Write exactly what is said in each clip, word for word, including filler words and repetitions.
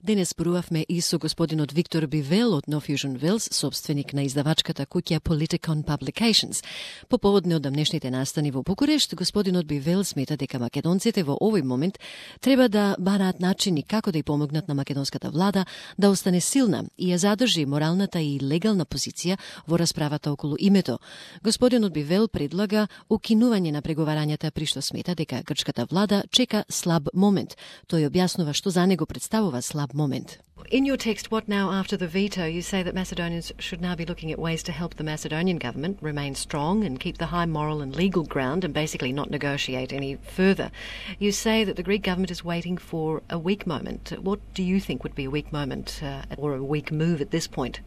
Денес зборувавме и со господинот Виктор Бивел од No Fusion Wales, собственик на издавачката куќа Politikon Publications. По повод неодамнешните настани во Букурешт, господинот Бивел смета дека македонците во овој момент треба да бараат начини како да ја помогнат на македонската влада да остане силна и ја задржи моралната и легална позиција во расправата околу името. Господинот Бивел предлага укинување на преговарањата, при што смета дека грчката влада чека слаб момент. Тој објаснува што за него представува слаб moment. In your text, What Now After the Veto, you say that Macedonians should now be looking at ways to help the Macedonian government remain strong and keep the high moral and legal ground and basically not negotiate any further. You say that the Greek government is waiting for a weak moment. What do you think would be a weak moment uh, or a weak move at this point?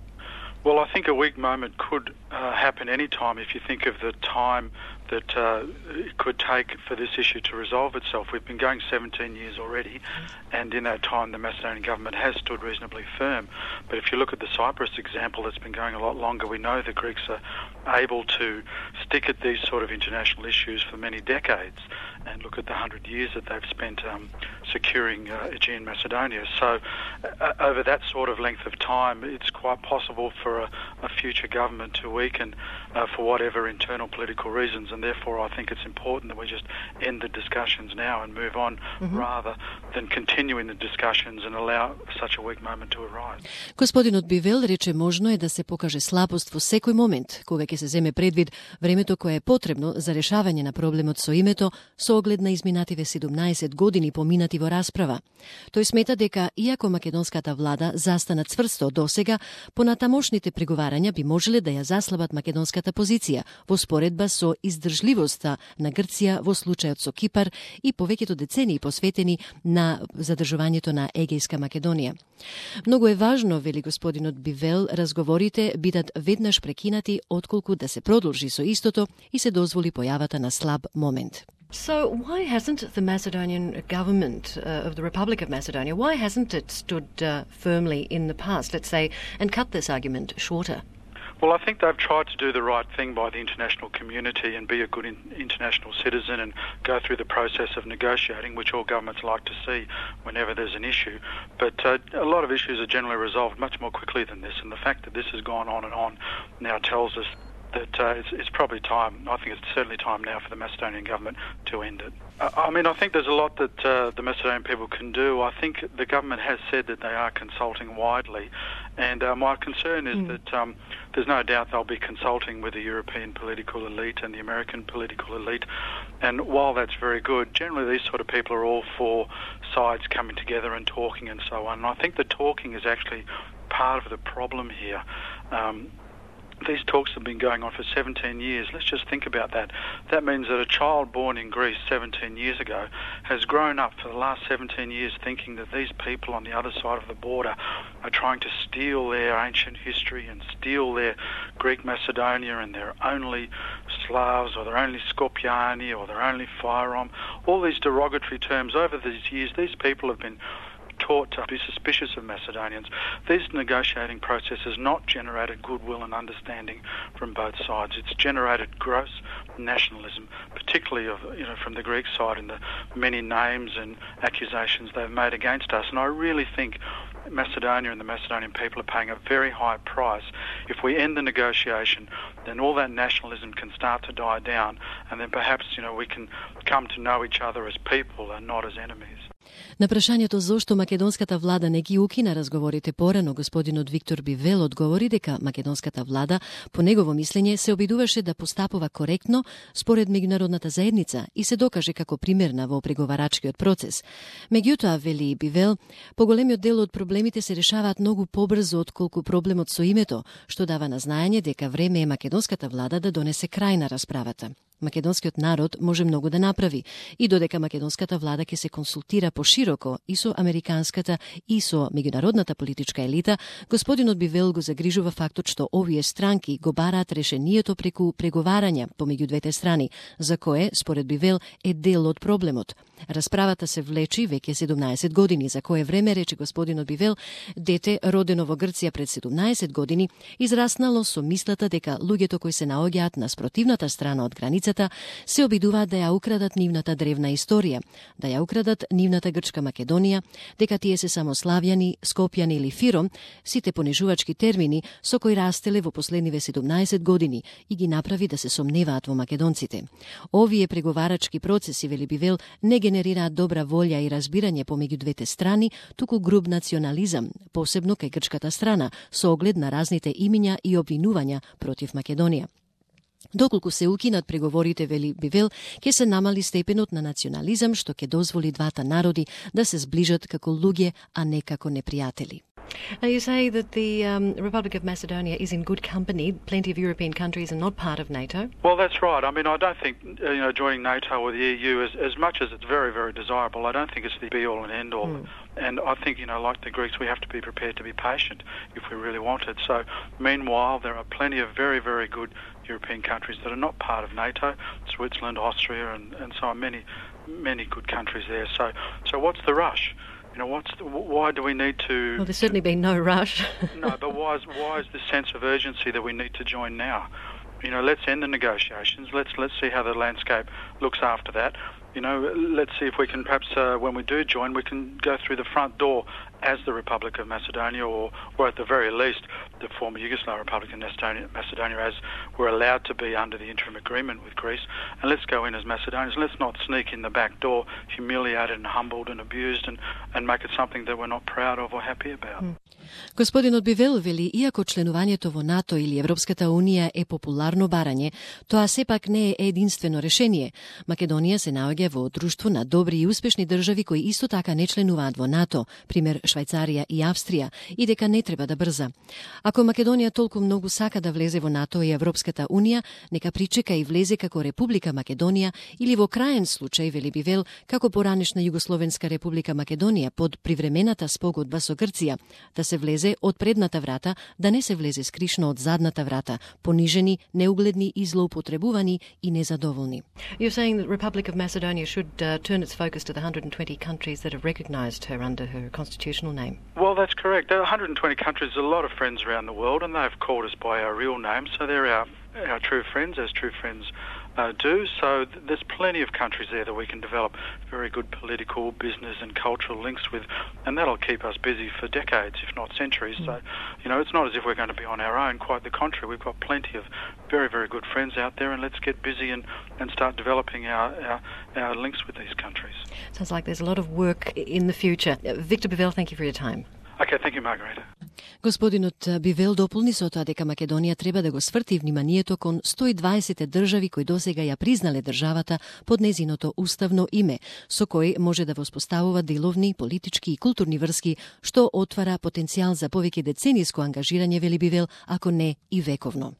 Well, I think a weak moment could uh, happen any time if you think of the time that uh, it could take for this issue to resolve itself. We've been going seventeen years already, and in that time the Macedonian government has stood reasonably firm. But if you look at the Cyprus example, that's been going a lot longer. We know the Greeks are able to stick at these sort of international issues for many decades, and look at the hundred years that they've spent um, securing uh, Aegean Macedonia. So uh, over that sort of length of time, it's quite possible for a, a future government to weaken uh, for whatever internal political reasons, and therefore I think it's important that we just end the discussions now and move on mm-hmm. rather than continuing the discussions and allow such a weak moment to arise. Господинот Бивел рече можно е да се покаже слабост во секој момент, кога ќе се земе предвид времето кое е потребно за решавање на проблемот со името со оглед на изминативе седумнаесет години поминати во расправа. Тој смета дека, иако македонската влада застана цврсто досега, понатамошните преговарања би можеле да ја заслабат македонската позиција во споредба со издржливоста на Грција во случајот со Кипар и повеќето децении посветени на задржувањето на Егејска Македонија. Многу е важно, вели господинот Бивел, разговорите бидат веднаш прекинати отколку да се продолжи со истото и се дозволи појавата на слаб момент. So why hasn't the Macedonian government uh, of the Republic of Macedonia, why hasn't it stood uh, firmly in the past, let's say, and cut this argument shorter? Well, I think they've tried to do the right thing by the international community and be a good in, international citizen and go through the process of negotiating, which all governments like to see whenever there's an issue. But uh, a lot of issues are generally resolved much more quickly than this, and the fact that this has gone on and on now tells us that uh, it's, it's probably time, I think it's certainly time now for the Macedonian government to end it. Uh, I mean, I think there's a lot that uh, the Macedonian people can do. I think the government has said that they are consulting widely, and uh, my concern is mm. that um, there's no doubt they'll be consulting with the European political elite and the American political elite, and while that's very good, generally these sort of people are all for sides coming together and talking and so on, and I think the talking is actually part of the problem here. Um, These talks have been going on for seventeen years. Let's just think about that. That means that a child born in Greece seventeen years ago has grown up for the last seventeen years thinking that these people on the other side of the border are trying to steal their ancient history and steal their Greek Macedonia and they're only Slavs or they're only Skopjani or they're only Fyrom. All these derogatory terms over these years, these people have been taught to be suspicious of Macedonians. This negotiating process has not generated goodwill and understanding from both sides. It's generated gross nationalism, particularly of, you know, from the Greek side and the many names and accusations they've made against us. And I really think Macedonia and the Macedonian people are paying a very high price. If we end the negotiation, then all that nationalism can start to die down, and then perhaps, you know, we can come to know each other as people and not as enemies. На прашањето зошто македонската влада не ги укина разговорите порано, господинот Виктор Бивел одговори дека македонската влада, по негово мислење, се обидуваше да постапува коректно според меѓународната заедница и се докаже како примерна во преговарачкиот процес. Меѓутоа, вели Бивел, поголемиот дел од проблемите се решаваат многу побрзо отколку проблемот со името, што дава на знаење дека време е македонската влада да донесе крај на расправата. Македонскиот народ може многу да направи и додека македонската влада ќе се консултира пошироко и со американската и со меѓународната политичка елита, господинот Бивел го загрижува фактот што овие странки го бараат решението преку преговарања помеѓу двете страни, за кое, според Бивел, е дел од проблемот. Расправата се влечи веќе седумнаесет години, за кое време, рече господинот Бивел, дете родено во Грција пред седумнаесет години, израснало со мислата дека луѓето кои се наоѓаат на спротивната страна од границата границата, се обидуваат да ја украдат нивната древна историја, да ја украдат нивната грчка Македонија, дека тие се само славјани, скопјани или фиром, сите понижувачки термини со кои растеле во последниве седумнаесет години и ги направи да се сомневаат во македонците. Овие преговарачки процеси, вели Бивел, не генерираат добра волја и разбирање помеѓу двете страни, туку груб национализам, посебно кај грчката страна, со оглед на разните имиња и обвинувања против Македонија. Доколку се укинат преговорите, вели Бивел, ќе се намали степенот на национализам што ќе дозволи двата народи да се сближат како луѓе, а не како непријатели. Now you say that the um, Republic of Macedonia is in good company. Plenty of European countries are not part of NATO. Well, that's right. I mean, I don't think uh, you know joining NATO or the E U, as, as much as it's very, very desirable, I don't think it's the be-all and end-all. Mm. And I think, you know, like the Greeks, we have to be prepared to be patient if we really want it. So, meanwhile, there are plenty of very, very good European countries that are not part of NATO, Switzerland, Austria, and, and so on, many, many good countries there. So, so what's the rush? You know, what's the, why do we need to... Well, there's certainly been no rush. No, but why is, why is this sense of urgency that we need to join now? You know, let's end the negotiations. Let's let's see how the landscape looks after that. You know, let's see if we can perhaps, uh, when we do join, we can go through the front door as the Republic of Macedonia, or, or at the very least, the former Yugoslav Republic of Macedonia, Macedonia, as we're allowed to be under the interim agreement with Greece. And let's go in as Macedonians. Let's not sneak in the back door, humiliated and humbled and abused, and, and make it something that we're not proud of or happy about. Mm. Господинот Бивел вели, иако членувањето во НАТО или Европската Унија е популарно барање, тоа сепак не е единствено решение. Македонија се наоѓа во друштво на добри и успешни држави кои исто така не членуваат во НАТО, пример Швајцарија и Австрија, и дека не треба да брза. Ако Македонија толку многу сака да влезе во НАТО и Европската Унија, нека причека и влезе како Република Македонија или во краен случај, вели Бивел, како поранешна Југословенска Република Македонија под привремената спогодба со Грција, да се влезе од предната врата, да не се влезе скришно од задната врата, понижени, неугледни и злоупотребувани и незадоволни. You're saying that Republic of Macedonia should uh, turn its focus to the one hundred twenty countries that have recognised her under her constitutional name. Well, that's correct. There are one hundred twenty countries, a lot of friends around the world, and they've called us by our real names, so they're our, our true friends, as true friends Uh, do. So th- there's plenty of countries there that we can develop very good political, business and cultural links with, and that'll keep us busy for decades, if not centuries. Mm. So, you know, it's not as if we're going to be on our own, quite the contrary. We've got plenty of very, very good friends out there, and let's get busy and, and start developing our, our, our links with these countries. Sounds like there's a lot of work in the future. Uh, Victor Bivell, thank you for your time. Okay, thank you, Margareta. Господинот Бивел дополни со тоа дека Македонија треба да го сврти вниманието кон сто и дваесет држави кои досега ја признале државата под незиното уставно име, со кој може да воспоставува деловни, политички и културни врски, што отвара потенцијал за повеќе децениско ангажирање, вели Бивел, ако не и вековно.